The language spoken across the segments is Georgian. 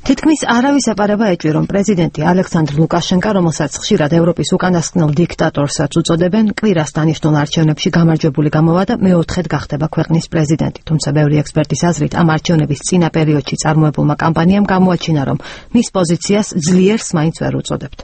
თითქმის არავის ეპარება ეჭვი, რომ პრეზიდენტი ალექსანდრ ლუკაშენკა, რომელსაც ხშირად ევროპის უკანასკნელ დიქტატორსაც უწოდებენ, კვირას დანიშნულ არჩევნებში გამარჯვებული გამოვა და მეოთხედ გახდება ქვეყნის პრეზიდენტი. თუმცა ბევრი ექსპერტის აზრით, ამ არჩევნების წინა პერიოდში წარმოებულმა კამპანიამ გამოაჩინა, რომ მის პოზიციას ძლიერს მაინც ვერ უწოდებთ.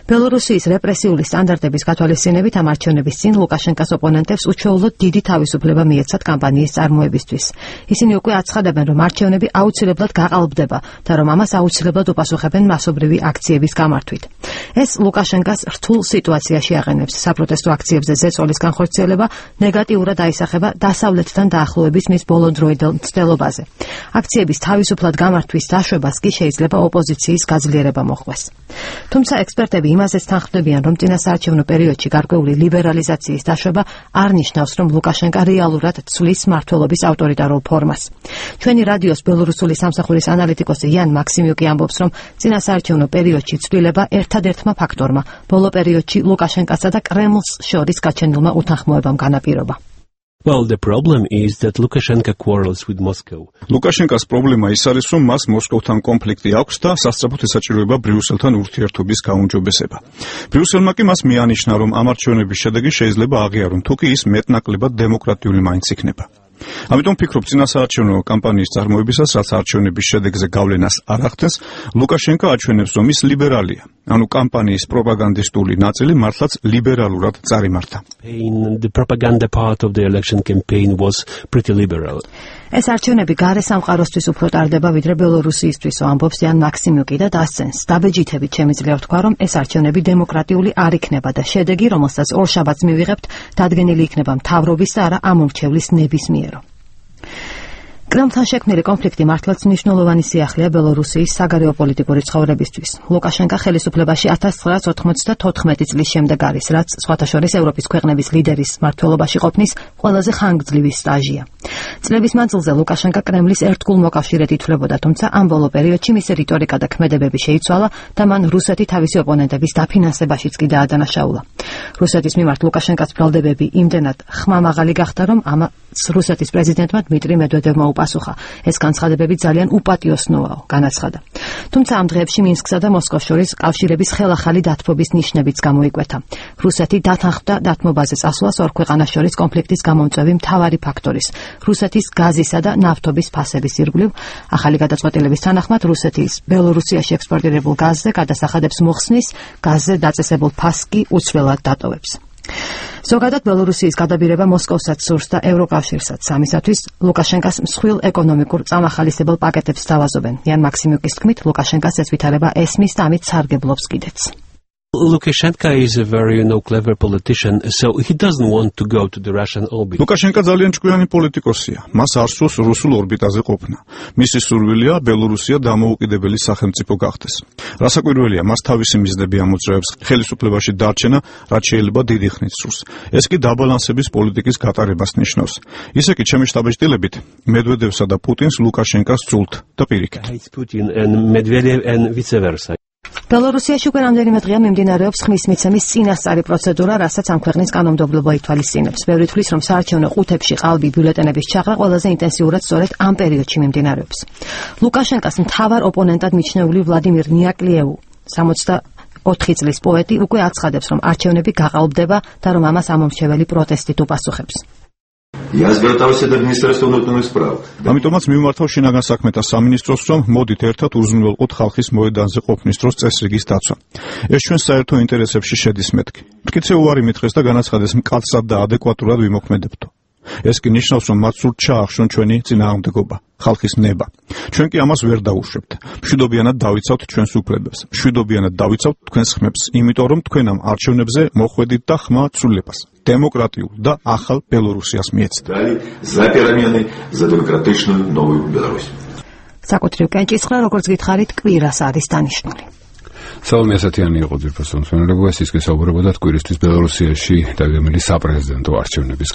ბელორუსიის რეპრესიული სტანდარტების გათვალისწინებით ამ არჩევნების წინ ლუკაშენკას ოპონენტებს უჩვეულოდ დიდი თავისუფლება მიეცათ კამპანიის წარმოებისთვის. ისინი უკვე აცხადებენ, რომ არჩევნები აუცილებლად გაყალბდება და რომ ამას აუცილებლად უპასუხებენ მასობრივი აქციების გამართვით. ეს ლუკაშენკას რთულ სიტუაციაში აყენებს. საპროტესტო აქციებზე ზეწოლის განხორციელება ნეგატიურად აისახება დასავლეთთან დაახლოების მის ბოლოდროიდელ მცდელობაზე. აქციების თავისუფლად გამართვის დაშვებას კი შეიძლება ოპოზიციის გაძლიერება მოჰყვეს. თუმცა ექსპერტები იმაზეც თანხმდებიან, რომ წინასაარჩევნო პერიოდში გარკვეული ლიბერალიზაციის დაშვება არ ნიშნავს, რომ ლუკაშენკა რეალურად ცვლის მმართველობის ავტორიტარულ ფორმას. ჩვენი რადიოს ბელორუსული სამსახურის ანალიტიკოსი იან მაქსიმიუკი ამბობს, რომ წინასაარჩევნო პერიოდში ცვლილება ერთადერთმა ფაქტორმა ბოლო პერიოდში ლუკაშენკასა და კრემლს შორის გაჩენილმა უთანხმოებამ განაპირობა. Well, the problem is that Lukashenko quarrels with Moscow. ლუკაშენკას პრობლემა ის არის, რომ მას მოსკოვთან კონფლიქტი აქვს და სასწრაფოდ ესაჭიროება ბრიუსელთან ურთიერთობის გაუმჯობესება. ბრიუსელმა კი მას მიანიშნა, რომ ამ არჩევნების შედეგი შეიძლება აღიარონ, თუ კი ის მეტნაკლებად დემოკრატიული მაინც იქნება. ამიტომ ფიქრობ, წინასაარჩევნო კამპანიის წარმოებისას, რაც არჩევნების შედეგზე გავლენას არ ახდენს, ლუკაშენკა აჩვენებს, რომ ის ლიბერალია. ანუ კამპანიის პროპაგანდისტული ნაწილი მართლაც ლიბერალურად წარიმართა. The propaganda part of the election campaign was pretty liberal. ეს არჩევნები გარე სამყაროსთვის უფრო ტარდება, ვიდრე ბელორუსიისთვის, ამბობს იან მაქსიმიუკი და დასცენს. დაბეჯითებით შემიძლია ვთქვა, რომ ეს არჩევნები დემოკრატიული არ იქნება და შედეგი, რომელსაც ორშაბათს მივიღებთ, დადგენილი იქნება მთავრობის და არა ამორჩევლის ნებისმიერო. კრემლთან შექმნილი კონფლიქტი მართლაც მნიშვნელოვანი სიახლეა ბელორუსიის საგარეო პოლიტიკური ცხოვრებისთვის. ლუკაშენკა ხელისუფლებაში 1994 წლის შემდეგ არის, რაც სხვათა შორის ევროპის ქვეყნების ლიდერის მმართველობაში ყოფნის ყველაზე ხანგრძლივი სტაჟია. წლების მანძილზე ლუკაშენკა კრემლის ერთგულ მოკავშირედ ითვლებოდა, თუმცა ამ ბოლო პერიოდში მისი რიტორიკა და ქმედებები შეიცვალა და მან რუსეთი თავისი ოპონენტების დაფინანსებაშიც კი დაადანაშაულა. რუსეთის მიმართ ლუკაშენკას ბრალდებები იმდენად ხმამაღალი გახდა, რომ ამას რუსეთის პრეზიდენტმა დმიტრი მედვედევმა უპასუხა. ეს განცხადებები ძალიან უპატიოსნოა, განაცხადა. თუმცა ამ დღეებში მინსკსა და მოსკოვს შორის კავშირების ხელახალი დათბობის ნიშნებიც გამოიკვეთა. რუსეთი დათანხმდა დათმობაზე წასვლას ორ ქვეყანას შორის კონფლიქტის გამომწვევი მთავარი ფაქტორის, რუსეთის გაზისა და ნავთობის ფასების ირგვლივ. ახალი გადაწყვეტილების თანახმად რუსეთის ბელორუსიაში ექსპორტირებულ გაზზე გადასახადებს მოხსნის, გაზზე დაწესებულ ფასს კი უცვლელად დატოვებს. ზოგადად ბელორუსიის გადაბირება მოსკოვსაც სურს და ევროკავშირსაც. ამისათვის ლუკაშენკას მსხვილ ეკონომიკურ წამახალისებელ პაკეტებს თავაზობენ. იან მაქსიმიუკის თქმით, ლუკაშენკას ეს ვითარება ესმის და ამით სარგებლობს კიდეც. Lukashenko is a very clever politician, so he doesn't want to go to the Russian orbit. ლუკაშენკა ძალიან ჭკვიანი პოლიტიკოსია. მას არ სურს რუსულ ორბიტაზე ყოფნა. მისი სურვილია ბელორუსია დამოუკიდებელი სახელმწიფო გახდეს. რასაკვირველია, მას თავისი მიზნები ამოძრავებს ხელისუფლებაში დარჩენა, რაც შეიძლება დიდი ხნით სურს. ეს კი დაბალანსების პოლიტიკის გატარებას ნიშნავს. ისე კი ჩემი შტაბეჭდილებით, მედვედევსა და პუტინს ლუკაშენკას სრულთ და პირიქით. Putin and Medvedev and vice versa. ბელორუსიაში უკვე რამდენიმე დღეა მიმდინარეობს ხმის მიცემის წინასწარი პროცედურა, რასაც ამ ქვეყნის კანონმდებლობა ითვალისწინებს. ბევრი თვლის, რომ საარჩევნო ყუთებში ყალბი ბიულეტენების ჩაღრა ყველაზე ინტენსიურად სწორედ ამ პერიოდში მიმდინარეობს. ლუკაშენკას მთავარ ოპონენტად მიჩნეული ვლადიმირ ნიაკლიევი, 64 წლის პოეტი, უკვე აცხადებს, რომ არჩევნები გაყალბდება და რომ ამას ამომრჩეველი პროტესტით უპასუხებს. Я звертався до Міністерства внутрішніх справ. ამიტომაც მიმართავ შინაგან საქმეთა სამინისტროს, რომ მოდით ერთად უზრუნველყოთ ხალხის მოედანზე ყოფნის დროს წესრიგის დაცვა. ეს ჩვენ საერთო ინტერესებში შედის მეთქი. მტკიცე უარი მითხრეს და განაცხადეს მკაცრად და ადეკვატურად ვიმოქმედებთო. ეს კი ნიშნავს, რომ მათ სურთ ჩაახშონ ჩვენი წინააღმდეგობა, ხალხის ნება. ჩვენ კი ამას ვერ დაუშვებთ. მშვიდობიანად დავიცავთ ჩვენს უფლებებს. მშვიდობიანად დავიცავთ თქვენს ხმებს, იმიტომ რომ თქვენ ამ არჩევნებზე მოხვედით და ხმა ცვლილებას. დემოკრატიულ და ახალ ბელორუსიას მიეცეთ. За перемены, за демократичную новую Беларусь. საკუთრივ კენჭისყრა, როგორც გითხარით, კვირას არის დანიშნული. სალომე ასათიანი იყო ძირფასო მსმენელობა, ის კი საუბრობოდა კვირისთვის ბელორუსიაში დაგეგმილი საპრეზიდენტო არჩევნების